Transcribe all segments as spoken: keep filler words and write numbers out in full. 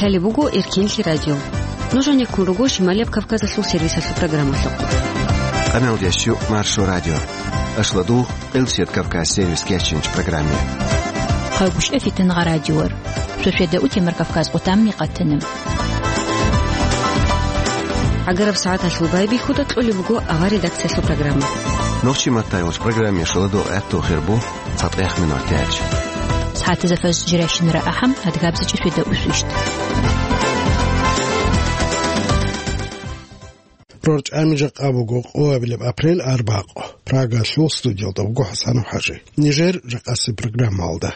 Гьале буго Эркинлъи радио. Нуж гьанеккун руго Шималияб Кавказалъул сервисалъул программалъухъ. Къаналдиящу Маршо радио. Ашладу Къилсият Кавказ сервис кечинч программе. Хъайгъуш эфитан гъа радиор. Шошеда утемар Кавказ къутамми къатана. Агараб сагӀаталъул байбихьуда кьолеб буго авар редакциялъул программа. Нохчи маттайгъуш программе шаладу гӀатту хирбу. Цадгъех минутач. СагӀатазда фажр жирайщинара ахӀам, адгабзичӀеб шведа усвищт. РорчӀами жакъа буго къоабилеб апрель арбакъо. Прагалъул студиялда буго ХӀасанов ХӀажи. Нижер жакъасеб программалда.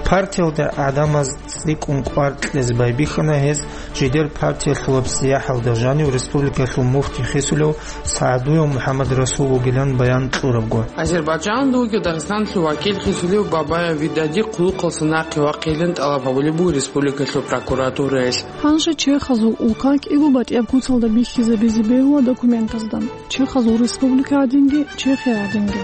Партиялда гӀадамаз цӀикӀкӀун кӀвар кьезе байбихьана гьез, жидер партиялъулаб сияхӀалда жанив республикалъул муфти хисулев СагӀдуев МухӀаммад Расул вугилан баян кьурабго. Азербайджанда вугев Дагъистаналъул вакил хисулев Бабаев Видади хъулухъалса нахъе вахъейилан тӀалаб гьабулеб буго республикалъул прокуратураялъ. Гьанже чехазул улка кӀиго батӀияб куцалда бихьизабизе бегьула документазда. Чехазул республика гӀадинги, Чехия гӀадинги.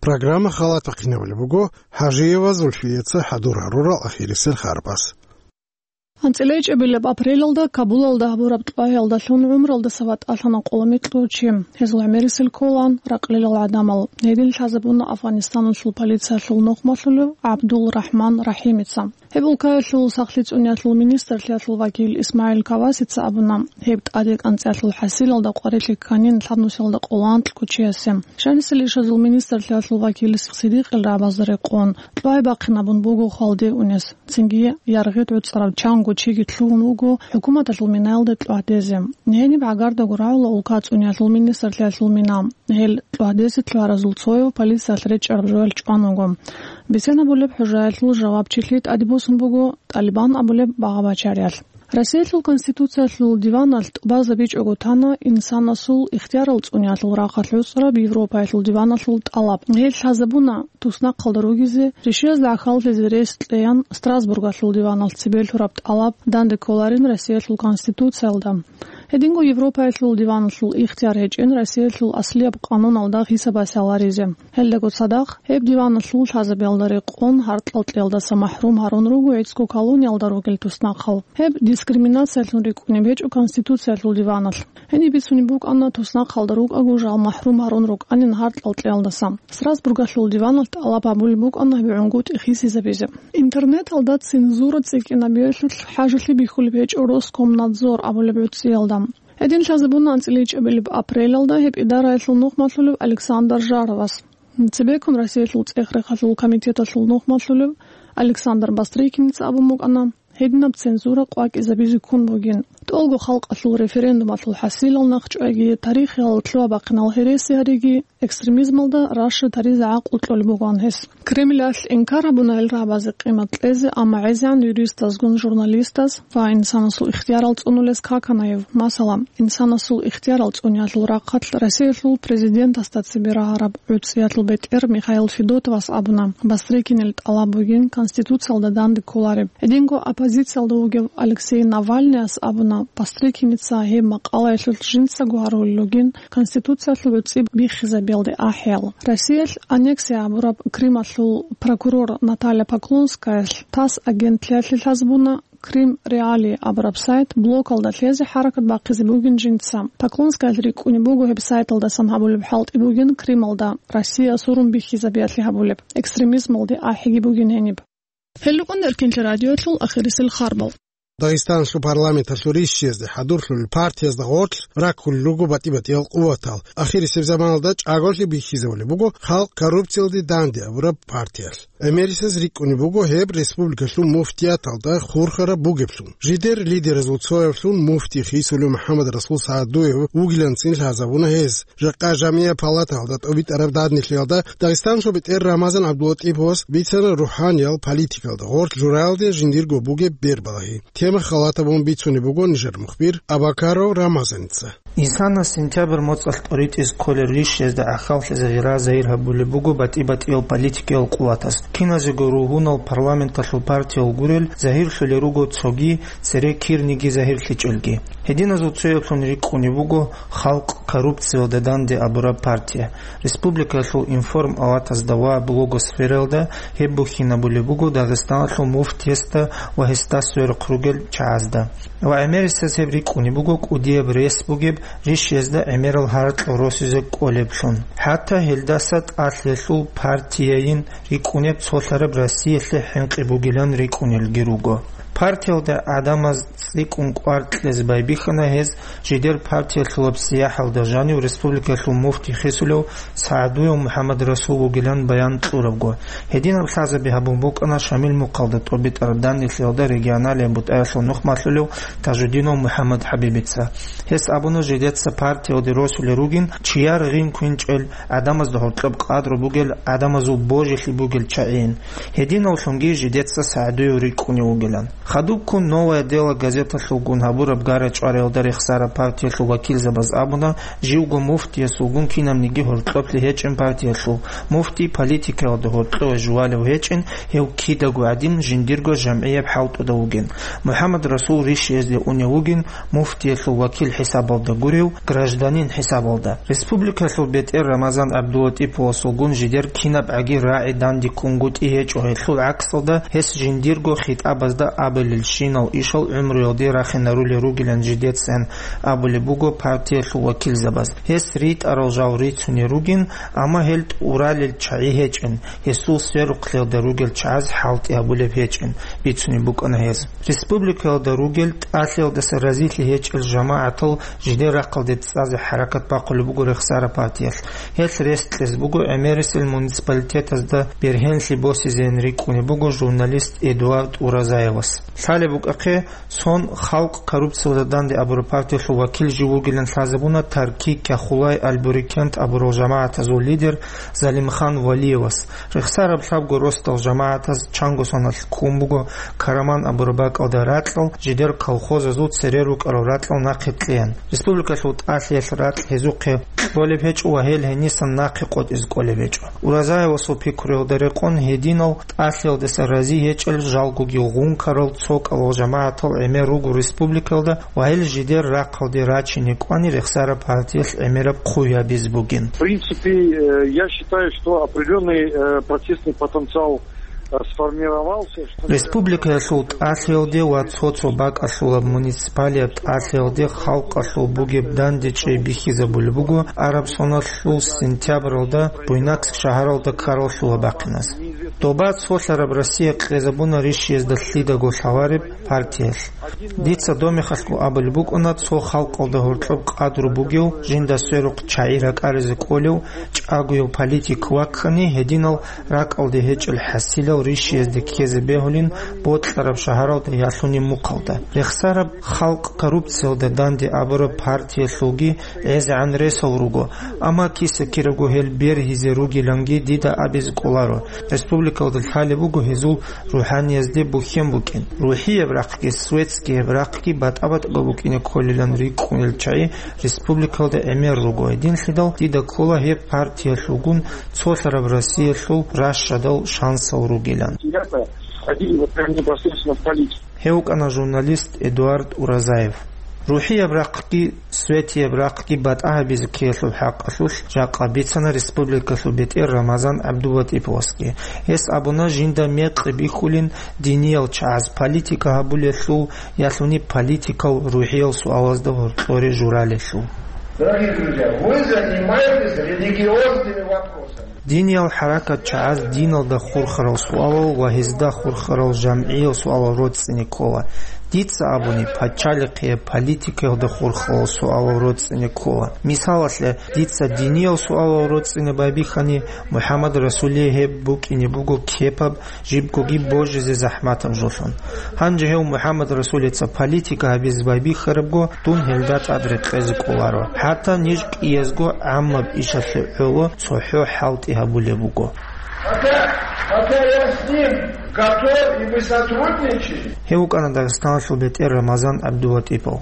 Программа халатахъинабулеб буго ХӀажиева Зульфияца хӀадур гьарурал ахирисел харбаз. АнцӀила ичӀабилеб апрелалда Кабулалда гьабураб кьвагьиялдалъун гӀумралдаса ватӀалъана къоло микьго чи. Гьезул гӀемерисел кколаан ракълилал гӀадамал. Гьедин лъазабуна Афганистаналъул полициялъул нухмалъулев ГӀабдул Рахман Рахимица. Гьеб улкаялъул сахлъи цӀуниялъул министрлъиялъул вакил ИсмагӀил Кавасица абуна, гьеб тӀаде кӀанцӀиялъул хӀасилалда къварилъи кканин лъабнусиялда къоло анкьго чиясе. Жанисел ишазул министрлъиялъул вакил Сидикъил рагӀабазда рекъон, кьвай бахъинабун буго хвалде унес, цинги яргъид гӀуцӀарав чанго чиги лъугьун вуго хӀукуматалъул минаялда кьвагьдезе. Гьениб гӀагардаго рагӀула улка цӀуниялъул министрлъиялъул мина. Гьел кьвагьдезе лъугьаразул цояв полициялъ речӀчӀараб жоялъ чӀван вуго. Бицен абулеб хӀужаялъул жавабчилъи тӀаде босун буго ТӀалибан абулеб багъа-бачариялъ. Россиялъул Конституциялъул диваналъ тӀубазабичӀого тана инсанасул ихтиярал цӀуниялъул рахъалъ гӀуцӀараб Европаялъул диваналъул тӀалаб. Гьел лъазабуна туснахъалда ругезе, решиязда гӀахьаллъизе рес кьеян Страсбургалъул диваналъ цебе лъураб тӀалаб данде кколарин Россиялъул Конституциялда. Гьединго Европаялъул диваналъул ихтияр гьечӀин Россиялъул аслияб къануналда хӀисабасе гьаларизе. Гьелдаго цадахъ, гьеб диваналъул лъазабиялда рекъон гьаркьал кьеялдаса махӀрум гьарун руго гӀицӀго колониялда ругел туснахъал. Гьеб дискриминациялъун рикӀкӀунеб гьечӀо Конституциялъул диваналъ. Гьениб бицунеб букӀана туснахъалда рукӀаго жал махӀрум гьарун рукӀанин гьаркьал кьеялдаса. Страсбургалъул диваналъ тӀалаб гьабулеб букӀана гьеб гӀунгутӀи хисизабизе. Интернеталда цензура цӀикӀкӀинабиялъулъ хӀажалъи бихьулеб гьечӀо Роскомнадзор абулеб гӀуцӀиялда. Гьедин лъазабуна анцӀила ичӀабилеб апрелалда гьеб идараялъул нухмалъулев Александр Жаровас. Цебеккун Россиялъул цӀех-рехалъул комитеталъул нухмалъулев Александр Бастрыкиница абун букӀана, гьединаб цензура къвакӀизабизе ккун бугин. ТӀолго халкъалъул референдумалъул хӀасилал нахъчӀвайги, тарихиялда лъугьа-бахъинал гьереси гьариги, экстремизмалда рашад гьаризе гӀакълу кьолеб бугоан гьес. Кремлалъ инкар гьабуна гьел рагӀабазе къимат кьезе, амма гӀезегӀан юристазгун журналистаз ва инсанасул ихтиярал цӀунулез каканаев. Масала, инсанасул ихтиярал цӀуниялъул рахъалъ Россиялъул президентасда цебе рагьараб гӀуцӀиялъул бетӀер Михаил Федотовас абуна, Бастрыкинил тӀалаб бугин Конституциялда данде кколареб. Гьединго оппозициялда вугев Алексей Навальныяс абуна, Бастрыкиница гьеб макъалаялъулъ жинцаго гьарулел ругин Конституциялъул гӀуцӀи биххизабиялде ахӀиял. Россиялъ аннексия гьабураб Крымалъул прокурор Наталья Поклонскаялъ ТАСС агентлъиялъе лъазабуна, Крым Реалии абураб сайт блокалда лъезе хӀаракат бахъизе бугин жинца. Поклонскаялъ рикӀкӀунеб буго гьеб сайталдасан гьабулеб хӀалтӀи бугин Крымалда Россия сурун биххизабиялъе гьабулеб, экстремизмалде ахӀиги бугин гьениб. Гьел рукӀун Эркинлъи радиоялъул ахирисел харбал. Дагъистаналъул парламенталъул ришшизде хӀадурлъулел партиязда гъорлъ раккулел руго батӀи-батӀиял къуватал. Ахирисеб заманалда чӀаголъи бихьизабулеб буго халкъ коррупциялде данде абураб партиялъ. ГӀемерисез рикӀкӀунеб буго гьеб республикалъул муфтияталда хурхараб бугеблъун. Жидер лидеразул цоявлъун муфти хисулев МухӀаммад Расул СагӀдуев вугиланцин лъазабуна гьез. Жакъа жамигӀа палаталда тӀобитӀараб данделъиялда Дагъистаналъул бетӀер Рамазан ГӀабдулатӀиповас бицана рухӀаниял политикалда гъорлъ жураялде жиндирго бугеб бербалагьи. Тема халатабун бицунеб буго нижер мухбир Абакаров Рамазаница. Инсанас сентябрь моцӀалъ тӀоритӀизе кколел ришшезда гӀахьаллъизе гъира загьир гьабулеб буго батӀи-батӀиял политикиял къуватас. Киназего ругьунал парламенталъул партиял гурел загьирлъулел руго цоги цере кирниги загьирлъичӀелги. Гьединазул цояблъун рикӀкӀунеб буго «Халкъ коррупциялда данде» абураб партия. Республикаялъул информ-аватазда ва блогосфералда гьеб бухьинабулеб буго Дагъистаналъул муфтиясда ва гьесда сверухъ ругел чагӀазда. Ва гӀемерисез гьеб рикӀкӀунеб буго кӀудияб рес бугеб ришшезда гӀемерал гьаракь росизе кӀолеблъун. ХӀатта гьелдаса тӀалъиялъул партияйин рикӀкӀунеб цолъараб Россиялъе хӀинкъи бугилан рикӀкӀунелги руго. Партиялда гӀадамаз цӀикӀкӀун кӀвар кьезе байбихьана гьез, жидер партиялъулаб сияхӀалда жанив республикаялъул муфти хисулев СагӀдуев МухӀаммадрасул вугилан баян кьурабго. Гьединаб лъазаби гьабун букӀана Шамил мухъалда тӀобитӀараб данделъиялда регионалияб бутӀаялъул нух малъулев Тажудинов МухӀаммадхӀабибица. Гьес абуна, жидеца партиялде росулел ругин чияр гъин квинчӀел, гӀадамазда гьоркьоб къадру бугел, гӀадамазул божилъи бугел чагӀийин. Гьединавлъунги жидеца СагӀдуев рикӀкӀунев вугилан. Хадубккун «Новое дело» газеталъулгун гьабураб гара-чӀвариялда рехсараб партиялъул вакилзабаз абуна, живго муфтиясулгун кинабниги гьоркьоблъи гьечӀин партиялъул, муфтий политикаялда гьоркьове жувалев гьечӀин, гьев кидаго гӀадин жиндирго жамгӀияб хӀалтӀуда вугин. МухӀаммадрасул ришшезде унев вугин, муфтиялъул вакил хӀисабалда гурев, гражданин хӀисабалда. Республикалъул бетӀер Рамазан ГӀабдулатӀиповасулгун жидер кинабгӀаги рагӀи дандеккунгутӀи гьечӀо, гьелъул гӀаксалда гьес жиндирго хитӀабазда абулелщинал ишал гӀумруялде рахинарулел ругилан жидецин абулеб буго партиялъул вакилзабаз. Гьес ритӀарал жал рицунел ругин, амма гьел тӀуралел чагӀи гьечӀин, гьесул сверухълъиялда ругел чагӀаз хӀалтӀи гьабулеб гьечӀин, бицунеб букӀана гьез. Республикаялда ругел тӀалъиялдаса разилъи гьечӀел жамагӀатал жидер рахъалде цӀазе хӀаракат бахъулеб буго рехсараб партиялъ. Гьелъ рес кьезе буго гӀемерисел муниципалитетазда бергьенлъи босизейин рикӀкӀунеб буго журналист Эдуард Уразаевас. Лъалеб букӀахъе, цон «Халкъ коррупциялда данде» абураб партиялъул вакил жив вугилан лъазабуна Тарки, Кяхулай, Аль-Бурикент абурал жамагӀатазул лидер Залимхан Валиевас. Рехсараб лъабго росдал жамагӀатаз чанго соналъ ккун буго Караман абураб бакӀалда ракьал, жидер колхозазул цере рукӀарал ракьал нахъе кьеян. Республикалъул тӀалъиялъ ракь гьезухъе кьолеб гьечӀо ва гьел гьенисан нахъе къотӀизе кӀолеб гьечӀо. Уразаевасул пикруялда рекъон, гьединал тӀалъиялдаса рази гьечӀел жалгоги гъункарал цо кӀалал жамагӀатал гӀемер руго республикалда ва гьел жидер рахъалде рачине кӀвани рехсараб партиялъ гӀемераб хъугьабиз бугин. В принципе, э, я считаю, что определённый, э, протестный потенциал, э, сформировался, что... Республикаялъул тӀалъиялде ва цо-цо бакӀалъулаб муниципалияб тӀалъиялде халкъалъул бугеб дандечӀей бихьизабулеб буго араб соналъул сентябралда Буйнакск шагьаралда ккарал лъугьа-бахъиназ. Доба цолъараб Россия кьезабуна ришшиязда лъидаго лъавареб партиялъ. Дица домехалъго абулеб букӀана, цо халкъалда гьоркьоб къадру бугев, жинда сверухъ чагӀи ракӀаризе кӀолев чӀагояв политик ваккани, гьединал ракӀалде гьечӀел хӀасилал ришшиязде ккезе бегьулин бокьараб шагьаралда ялъуни мухъалда. Рехсараб «Халкъ коррупциялда данде» абураб партиялъулги гӀезегӀан ресал руго, амма киса-кираго гьел бергьизе ругиланги дида абизе кӀоларо. Республикалда лъалеб буго гьезул рухӀаниязде бухьен букӀин. РухӀияб рахъги, светскияб рахъги батӀа-батӀаго букӀине кколилан рикӀкӀунел чагӀи республикалда гӀемер руго. Гьединлъидал дида ккола гьеб партиялъулгун цолъараб Россиялъул ращадал шансал ругилан. Ребята входили вот прям непосредственно в политику. Гьев вукӀана журналист Эдуард Уразаев. РухӀияб рахъги, светияб рахъги батӀа гьабизе ккеялъул хӀакъалъулъ жакъа бицана республикалъул бетӀер Рамазан ГӀабдулатӀиповасги. Гьес абуна, жинда мекъи бихьулин диниял чагӀаз политика гьабулелъул, ялъуни политикал рухӀиял суалазда гьоркьоре журалелъул. Дорогие друзья, вы занимаетесь религиозными вопросами. Диниял хӀаракат чагӀаз диналда хурхарал суалал ва гьезда хурхарал жамгӀиял суалал роцӀцӀине ккола. Дица абуни, пачалихъияб политикаялда хурхарал суалал роцӀцӀине ккола. Мисалалъе, дица диниял суалал роцӀцӀине байбихьани, МухӀаммад Расулие гьеб букӀине буго кепаб, жибгоги божизе захӀматаб жолъун. Гьанже гьев МухӀаммад Расулица политика гьабизе байбихьарабго, дун гьелда тӀад рекъезе кӀоларо. ХӀатта ниж кӀиязго гӀаммаб ишалъе гӀоло цохӀо хӀалтӀи гьабулеб буго. Пока, пока я с ним готов и мы сотрудничаем. Гьев вукӀана Дагъистаналъул бетӀер Рамазан ГӀабдулатӀипов.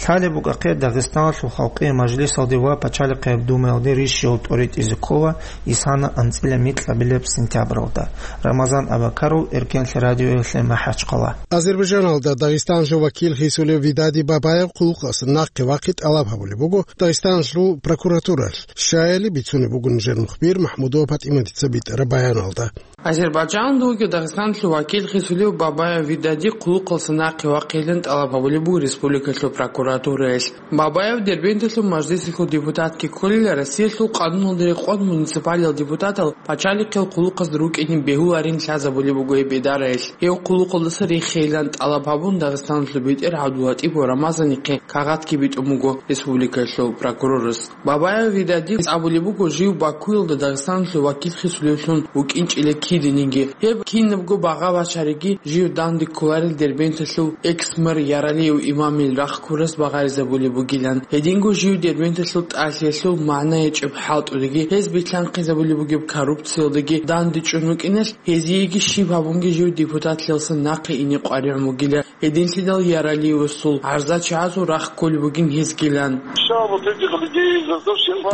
Лъалеб букӀахъе, Дагъистаналъул Халкъиял Мажлисалде ва Пачалихъияб Думаялде рищиялъул тӀоритӀизе ккола исана анцӀила микьабилеб сентябралда. Рамазан Абакаров, Эркенлъи радиоялъе, МахӀачхъала. Азербайджаналда Дагъистаналъул вакил хисулев Видади Бабаев хъулухъалъа нахъе вахъи тӀалаб гьабулеб буго Дагъистаналъул прокуратуралъ. Щаяли бицунеб буго нижер мухбир МахӀмудова ПатӀиматица битӀараб баяналда. Азербайджаналда вугев Дагъистаналъул вакил хисулев Бабаев Видади хъулухъалъа нахъе вахъейилан тӀалаб гьабулеб буго республикалъул прокуратураялъ. Бабаев Дербенталъул мажлисалъул депутатги кколила, Россиялъул къануналда рекъон муниципалиял депутатал пачалихъиял хъулухъазда рукӀине бегьуларин лъазабулеб буго гьеб идараялъ. Гьев хъулухъалдаса рехейилан тӀалаб гьабун, Дагъистаналъул бетӀер ГӀабдуллатӀипов Рамазанихъе кагъатги битӀун буго республикалъул прокурорас. Бабаев Видадис абулеб буго, жив Бакуялда Дагъистаналъул вакил хисулевлъун вукӀинчӀила киданиги. Гьеб кинабго багъа бачариги, жив данде кколарел Дербенталъул экс-мэр Яралиев Имамил рахъ ккурас багъаризабулеб бугилан. Гьединго жив Дербенталъул тӀалъиялъул магӀна гьечӀеб хӀалтӀудеги, гьез билълъанхъизабулеб бугеб коррупциялдеги данде чӀун вукӀиналъ, гьезиеги щиб гьабунги жив депутатлъиялдаса нахъе ине къваригӀун вугила. Гьединлъидал Яралиевасул гӀарзачагӀазул рахъ кколеб бугин гьезгилан.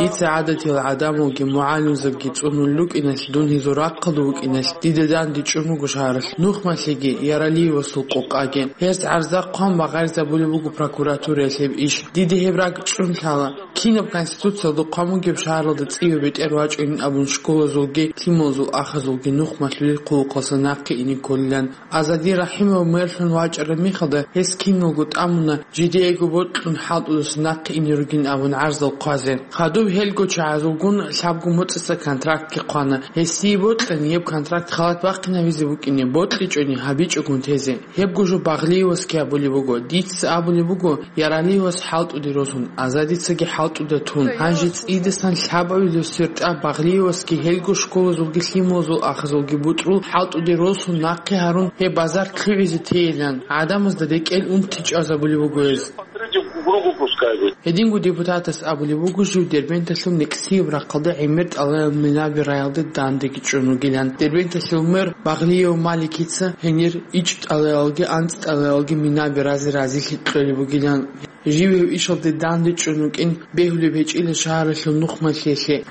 Дица гӀадатиял гӀадамалги мугӀалимзабги цӀунулел рукӀиналъ, дун гьезул рахъалда вукӀиналъ, дида данде чӀун буго шагьаралъ нухмалъиги, Яралиевасул къокъаги. Гьез гӀарза хъван багъаризабулеб буго прокуратураялъ гьеб иш. Дида гьеб ракӀчӀун лъала. Кинаб Конституциялда хъван бугеб шагьаралда цӀиве бетӀер вачӀунин абун школазулги, лъималазул ахазулги нухмалъулел хъулухъалъа нахъе ине кколилан. Азади Рахимов мэрлъун вачӀараб мехалда, гьес киналго тӀамуна, жидеего бокьун хӀалтӀудаса нахъе ине ругин абун гӀарзал хъвазе. Хадуб гьелго чагӀазулгун лъабго моцӀица контрактги хъвана. Гьесие бокьани, гьеб контракт халат бахъинабизе букӀине, бокьичӀони гьабичӀогун тезе. Гьебго жо Багълиевасги абулеб буго. Дица абулеб буго, Яралиевас хӀалтӀуде росун, Азадицаги хӀалтӀуда тун. Гьанже цӀидасан лъабавилев сертӀа Багълиевасги гьелго школазулги лъималазул ахазулги бутӀрул хӀалтӀуде росун нахъе гьарун, гьеб базар лъугӀизе тейилан, гӀадамазда рекӀел унти чӀвазабулеб буго гьез. Гьединго депутатас абулеб буго, жив Дербенталъул Никсияб рахъалда гӀемер тӀалаял минаби раялде дандеги чӀун вугилан. Дербенталъул мэр Багълиев Маликица гьенир ичӀ тӀалаялги анцӀ тӀалаялги минаби разе разилъи кьолеб бугилан. Жив гьев ишалде данде чӀун вукӀин бегьулеб гьечӀила шагьаралъул нухмалъиялъе.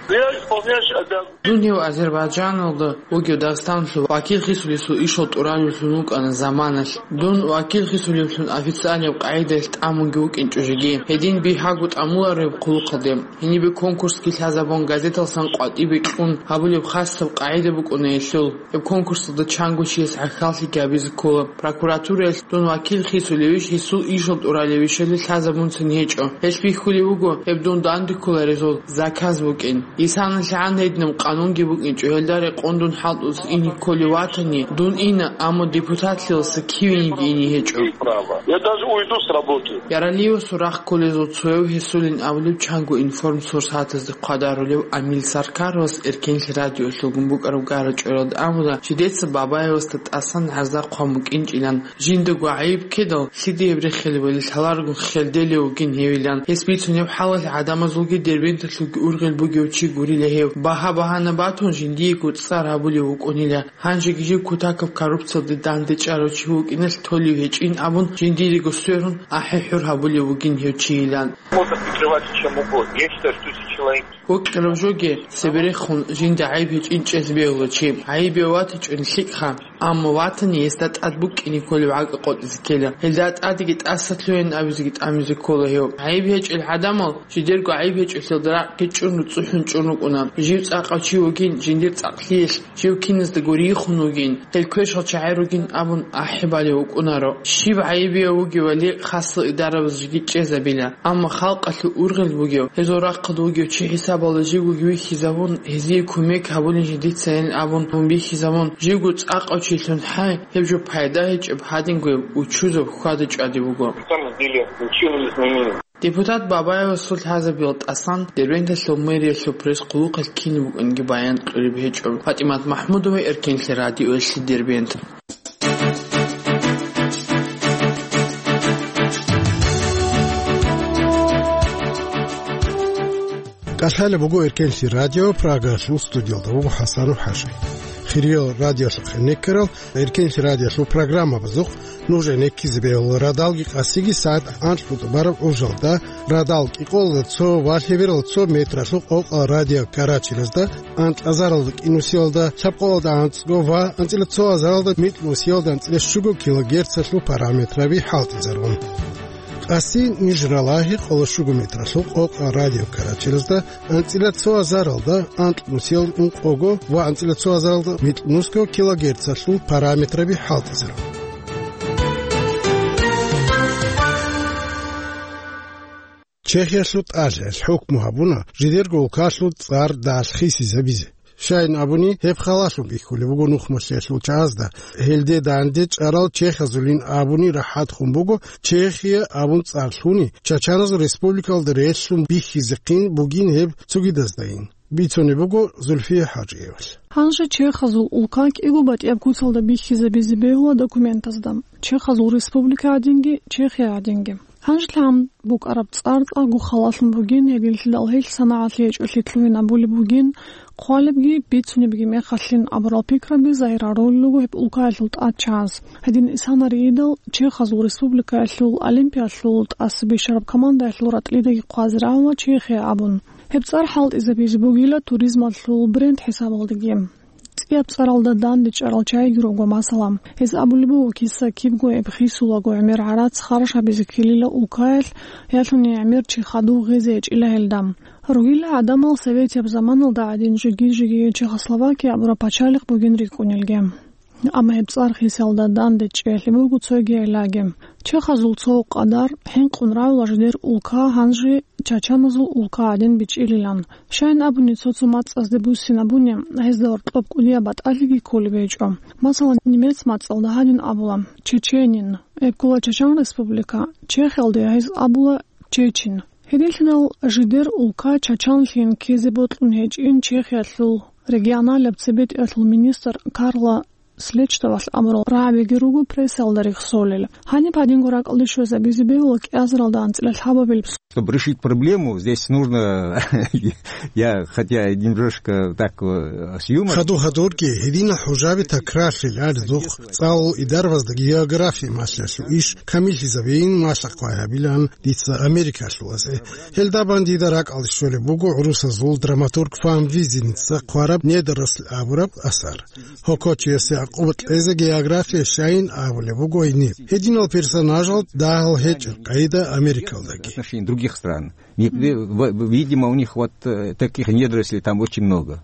Дун гьев Азербайджаналда вугев Дагъистаналъул вакил хисулесул ишал тӀуралевлъун вукӀана заманалъ. Дун вакил хисулевлъун официальнаб къагӀидаялъ тӀамунги вукӀинчӀо жеги. Гьедин бигьаго тӀамулареб хъулухъалде. Гьенибе конкурсги лъазабун, газеталсан къватӀибе кьун гьабулеб хасаб къагӀида букӀуна гьелъул. Гьеб конкурсалда чанго чияс гӀахьаллъиги гьабизе ккола. Прокуратураялъ дун вакил хисулевищ, гьесул ишал тӀуралевищали лъазабунцин гьечӀо. Гьелъ бихьулеб буго, гьеб дун данде кколарезул заказ букӀин. Исаналъ гӀан гьединаб къанунги букӀинчӀо, гьелда рекъон дун хӀалтӀуз ине кколев ватани, дун ина, амма депутатлъиялдаса кивениги ине гьечӀо. Право. Я даже уйду с работы. Яралиевасул рахъ кколезул цояв гьесулин абулеб чанго информсурсатазде хъвадарулев Амил Саркаровас Эркенлъи радиолъулгун букӀараб гара-чӀваралда абула, жидеца Бабаевасда тӀасан гӀарза хъван букӀинчӀилан, жиндаго гӀайиб ккедал, лъиде гьеб рехилебали лъаларгун херделев вугин гьевилан. Гьес бицунеб хӀалалъ гӀадамазулги Дербенталъулги ургъел бугев чи гурила гьев. Багьа-багьана батун, жиндиего цӀар гьабулев вукӀунила. Гьанжеги жив кутакаб коррупциялде дандечӀарав чи вукӀиналъ толев гьечӀин абун, жиндирего сверун, ахӀи-хӀур гьабулев вугин гьев чийилан. Можно прикрываться чем угодно. Я считаю, что если человек Гьукъараб жоги цеберехун жинда гӀайиб гьечӀин чӀезе бегьула чи. ГӀайибе ватичӀони лъикӀха, амма ватани гьесда тӀад букӀине кколеб гӀакӀа къотӀизе ккела. Гьелда тӀадеги тӀаса лъугьин абизеги тӀамизе ккола гьев. ГӀайиб гьечӀел гӀадамал жидерго гӀайиб гьечӀелъалда ракӀги чӀун, руцӀцӀухӀун чӀун рукӀуна. Жив цӀакъав чи вугин, жиндир цӀакълъиялъ, жив киназда гурийихъун вугин, гьел квешал чагӀи ругин абун ахӀи балев вукӀунаро. Щиб гӀайибияв вугевали, хасал идарабаз жеги чӀезабила. Амма халкъалъул ургъел бугев, гьезул рахъалда вугев чи хӀисабалда живго вихьизабун, гьезие кумек гьабулин жидецайин абун бихьизабун, живго цӀакъав чилъун хӀай, гьеб жо пайда гьечӀеб гьадингояб учузаб хьвада-чӀвади буго. На самом деле, ничего не изменилось. Депутат Бабаевасул лъазабиял тӀасан Дербенталъул мэриялъул пресс-хъулухъалъ кинаб букӀинги баян кьуриб гьечӀо. ПатӀимат МахӀмудова, Эркенлъи радиоялъе, Дербент. КӀалъалеб буго Эркенлъи радио, Прагалъул студиялда вуго ХӀасанов ХӀажи. Кирил радиолъухъе неккарал, эркенлъи радиолъул программабазухъ нужее неккизе бегьула радалги къасиги сагӀат анкьго тӀубараб гӀужалда, радал кӀикъоялда цо ва лъеберал цо метралъул къокъа радио карачелазда, анкьазаралда кӀинусиялда, лъабкъоялда анцӀго ва анцӀила цо азаралда микьнусиялда анцӀила щуго килогерцалъул параметраби хӀалтӀизарун. Къаси ниж ралагьи къоло щуго метралъул къокъа радио карачелазда, анцӀила цо азаралда анкьнусиял ункъого ва анцӀила цо азаралда микьнусго килогерцалъул параметраби хӀалтӀизарун. Чехиялъул тӀалъаялъ хӀукму гьабуна жидерго улкалъул цӀар далъ хисизабизе. Щайин абуни, гьеб халалъун бихьулеб буго нухмалъиялъул чагӀазда, гьелде данде чӀарал чехазулин абуни рахӀатхун буго, Чехия абун цӀар лъуни, Чачаназул республикалда релълъун бихьизехъин бугин гьеб цогидаздайин, бицунеб буго Зульфия ХӀажиевалъ. Гьанже чехазул улка кӀиго батӀияб куцалда бихьизабизе бегьула документазда, Чехазул республика гӀадинги, Чехия гӀадинги. Гьанжелъ гьаб букӀараб цӀар цӀакъго халалъун бугин, гьединлъидал гьелъ санагӀалъи гьечӀолъи лъугьин абулеб бугин, хъвалебги бицунебги мехалъин абурал пикраби загьир гьарулел руго гьеб улкаялъул тӀадчагӀаз. Гьедин исанариидал Чехазул республикаялъул олимпиялъул тӀаса бищараб командаялъул ратӀлидаги хъвазе рагӀула Чехия абун. Гьеб цӀар хӀалтӀизабизе бугила туризмалъул бренд хӀисабалдаги. ЦӀияб цӀаралда данде чӀарал чагӀиги руго, масала, гьез абулеб буго, киса кибго гьеб хисулаго гӀемер гӀарац харжабизе ккелила улкаялъ, ялъуни гӀемер чи хадув гъезе гьечӀила гьелда. Ругила гӀадамал советияб заманалда гӀадин жиги-жиги Чехословакия абураб пачалихъ бугин рикӀкӀунелги. Амма гьеб цӀар хисалда данде чӀеялъе буго цоги гӀиллаги. Чехазул цо къадар хӀинкъун равла жидер улка гьанже чачаназул улка гӀадин бичӀчӀилилан. Щайин абуни, цо-цо мацӀазде буссинабуни, гьезда гьоркьоб кӀудияб батӀалъиги кколеб гьечӀо. Масала, немец мацӀалда гьадин абула: «Чеченин». Гьеб ккола Чачан Республика, Чехиялда гьез абула: «Чечин». Гьединлъидал жидер улка чачанлъиялъин ккезе бокьун гьечӀин Чехиялъул регионалияб цебетӀиялъул министр Карла Слечтовалъ абурал рагӀабиги руго прессаялда рехсолел. Гьаниб гьадинго ракӀалде щвезабизе бегьула кӀиазаралда анцӀила лъабабилеб. Чтобы решить проблему, здесь нужно, я, хотя и немножко так, э, с юмором. Хадур-хадурги гьединал хӀужаби такрарлъиларедухъ, цӀалул идарабазда география малъиялъул иш камиллъизабейин малъа-хъвай гьабилаан дица Америкалъулазе. Гьелда бан дида ракӀалде щолеб буго гӀурусазул драматург Фан Визиница хъвараб «Недоросль» абураб асар. Гьокочиясе гӀакъуба кьезе география щайин абулеб буго гьениб. Гьединал персонажал дагьал гьечӀеб къайда Америкалдаги. Отношение других стран. Не, в-, в-, видимо, у них вот, э, таких недорослей там очень много.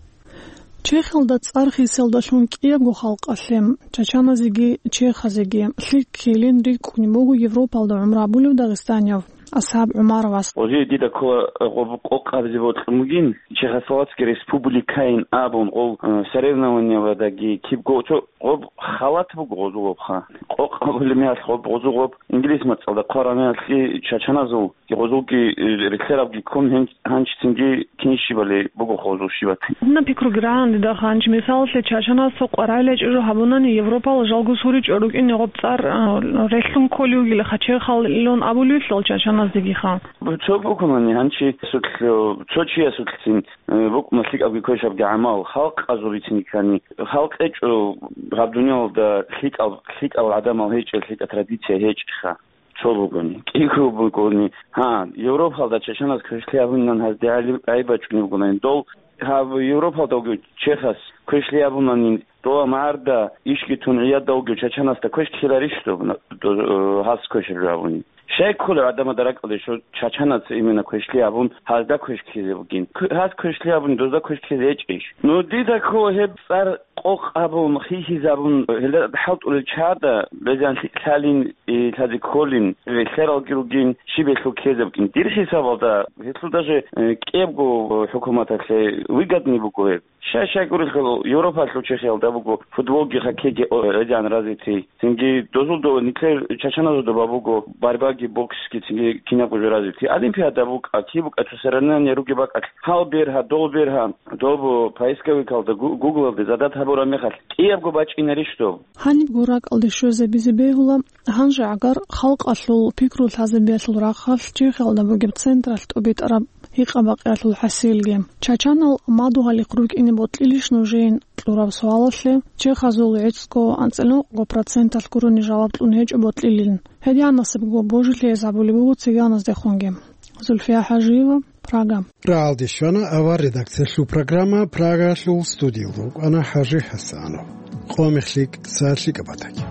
Чехиялда цӀар хисалдалъун кӀиябго халкъалъе, чачаназеги чехазеги, лъикӀ ккелин рикӀкӀунеб буго Европалда гӀумру гьабулев дагъистанияв АсхӀаб ГӀумаровас. Гъозие дида ккола гъоб къокъ абизе бокьун бугин, Чехословацкий республикайин абун гъов, э, соревнованиявадаги кибго цо гъоб халат буго гъозул гъобха. Къокъ абулеб мехалъ гъоб гъозул гъоб инглис мацӀалда хъвараб мехалъги чачаназул гъозулги, э, релълъарабги ккун гьен-, гьанчицинги кин щибали буго гъозул щибат. Гьанна пикруги рагӀан дида гьанч, мисалалъе, чачаназ цо къварагӀила чӀужу гьабунани, Европалъ жалго суричӀо рукӀине гъоб цӀар, а, релълъун кколев вугилаха, чехал илон абулевлъул чачаназдегиха. Цо букунани гьанчи судлъ-, цо чиясулъцин, э, букӀуна лъикӀабги квешабги гӀамал, халкъазул рицин ккани. Халкъ гьечӀо гьаб дуниялалда лъикӀал, лъикӀал гӀадамал гьечӀел, лъикӀал традиция гьечӀеха. Цо бугони, кӀиго бугони. Гьа, Европалда чачаназ квешлъи абунилан гьазде гӀайиб бачӀунеб бугонани. Дол гьаб Европалда вугев чехас квешлъи абунани, дола магӀарда ишги тун гӀиядда вугев чачанасда квеш ккеларищ доб, на-, до-, э, гьас квешаб жо абуни? Щай кколев гӀадамазда ракӀалде що чачанас именно квешлъи абун, гьазда квеш ккезе бугин? Кв-, гьас квешлъи абуни, дозда квеш ккезе гьечӀищ? Ну, дида ккола гьеб цӀар къокъ абун, хихизабун, гьелда хӀалтӀулел чагӀазда безан лъи-, лъалин, и, лъазе кколин, релълъаралги ругин, щиб гьелъул ккезабгин. Дир хӀисабалда, гьелъул даже, э, кӀиябго хӀукуматалъе выгодный буго гьеб. Щай-щай гурелъул, Европалъул чехиялда буго футболги, хоккейги, о, гӀезегӀан развитый. Цинги дозулда нилъер чачаназулда буго борьбаги, боксги, цинги кинабго жо развитый. Олимпиада букӀа, киб букӀа, цо соревнование ругеб бакӀалъ, гьал бергьа, дол бергьа. Доб поисковикалда, гу-, гуглалда задат гьабураб мехалъ, кӀиябго бачӀинарищ доб? Гьанибго ракӀалде щвезабизе бегьула, гьанже гӀагар халкъалъул пикру лъазабиялъул рахъалъ Чехиялда бугеб централъ тӀубитӀараб гьикъа-бакъиялъул хӀасилги. Чачанал мадугьалихъ рукӀине бокьилищ нужеян кьураб суалалъе чехазул гӀицӀго анцӀила нукъго проценталъ гурони жаваб кьун гьечӀо бокьилин. Гьединаб насибго божилъи гьез гьабулеб буго циган-, наздехунги. Зульфия Хажиева, Прага. РагӀалде щвана авар редакциялъул программа, Прагаялъул студиялда рукӀана ХӀажи ХӀасанов. Къо-мех лъикӀ, сагӀат лъикӀаб батаги.